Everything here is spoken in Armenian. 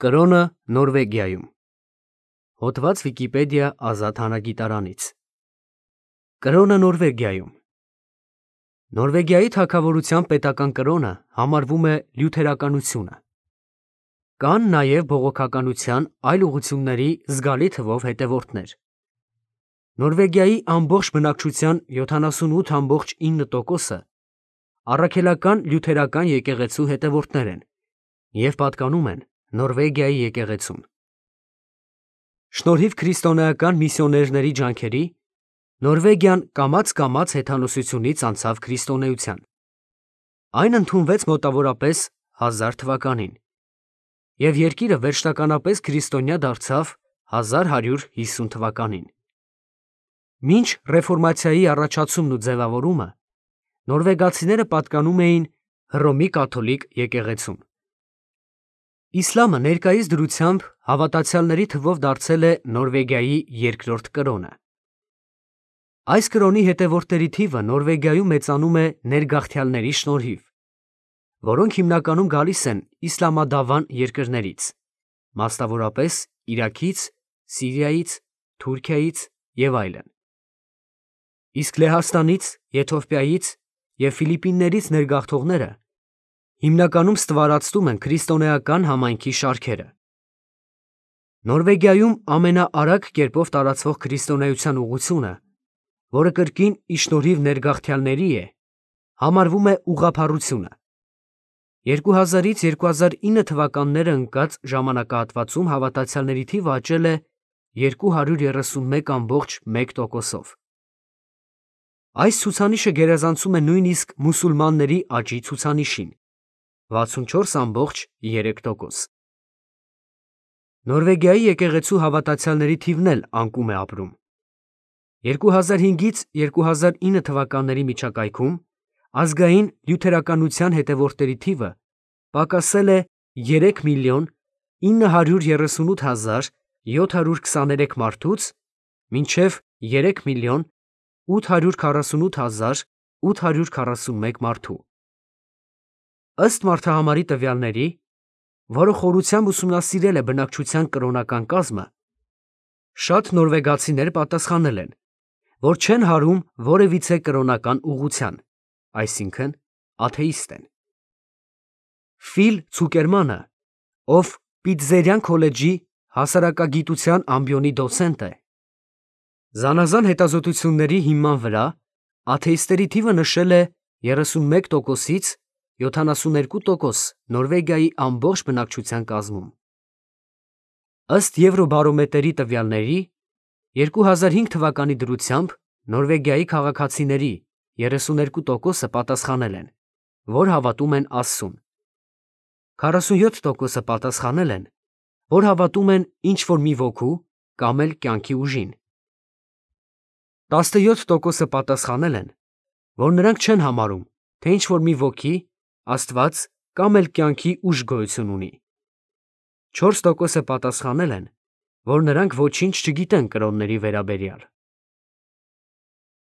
Կրոնը Նորվեգիայում։ Հոդված Վիկիպեդիա ազատ հանագիտարանից։ Կրոնը Նորվեգիայում։ Նորվեգիայի թագավորության պետական կրոնը համարվում է լյութերականությունը։ Կան նաև բողոքականության այլ ուղղությունների զգալի թվով հետևորդներ։ Նորվեգիայի ամբողջ բնակչության 78.9%-ը առաքելական լյութերական եկեղեցու հետևորդներ են և պատկանում են Նորվեգիայի եկեղեցուն։ Շնորհիվ քրիստոնեական միսիոներների ջանքերի Նորվեգիան կամաց-կամաց հեթանոսությունից անցավ քրիստոնեության։ Այն ընդունվեց մոտավորապես 1000 թվականին և երկիրը վերջնականապես քրիստոնյա դարձավ 1150 թվականին։ Մինչ ռեֆորմացիայի առաջացումն ու ձևավորումը նորվեգացիները պատկանում էին Հռոմի կաթոլիկ եկեղեցուն։ Իսլամը ներկայիս դրությամբ հավատացյալների թվով դարձել է Նորվեգիայի երկրորդ կրոնը։ Այս կրոնի հետևորդների թիվը Նորվեգիայում մեծանում է ներգաղթյալների շնորհիվ, որոնք հիմնականում գալիս են իսլամադավան երկրներից, մասնավորապես Իրաքից, Սիրիայից, Թուրքիայից և այլն։ Իսկ Լեհաստանից, Եթովպիայից և Ֆիլիպիններից ներգաղթողները հիմնականում ստվարածում են քրիստոնեական համայնքի շարքերը։ Նորվեգիայում ամենաարագ կերպով տարածվող քրիստոնեության ուղղությունը, որը կրկին ի շնորհիվ ներգաղթյալների է, համարվում է ուղղափառությունը։ 2000-ից 2009 թվականները ընկած ժամանակահատվածում հավատացյալների թիվը աճել է 231.1%-ով։ Այս ցուցանիշը գերազանցում է նույնիսկ մուսուլմանների աճի ցուցանիշին՝ 64.3%։ Նորվեգիայի եկեղեցու հավատացյալների թիվն էլ անկում է ապրում։ 2005-ից 2009 թվականների միջակայքում ազգային լյութերականության հետևորդների թիվը պակասել է 3.938.723 մարդուց մինչև 3.848.841 մարդու։ Ըստ մարդահամարի տվյալների, որը խորությամբ ուսումնասիրել է բնակչության կրոնական կազմը, շատ նորվեգացիներ պատասխանել են, որ չեն հարում որևիցե կրոնական ուղղության, այսինքն աթեիստ են։ Ֆիլ Ցուկերմանը, ով Պիտզերյան քոլեջի հասարակագիտության ամբիոնի դոցենտ է, զանազան հետազոտությունների հիման վրա աթեիստների թիվը նշել է 31%-ից 72% Նորվեգիայի ամբողջ բնակչության կազմում։ Ըստ Եվրոբարոմետրի տվյալների, 2005 թվականի դրությամբ Նորվեգիայի քաղաքացիների 32%-ը պատասխանել են, որ հավատում են Աստծուն։ 47%-ը պատասխանել են, որ հավատում են ինչ-որ մի ոգու կամ էլ կյանքի ուժին։ 17%-ը պատասխանել են, որ նրանք չեն համարում, թե ինչ-որ մի ոգի, Աստված կամ էլ կյանքի ուժ գոյություն ունի։ 4%-ը պատասխանել են, որ նրանք ոչինչ չգիտեն կրոնների վերաբերյալ։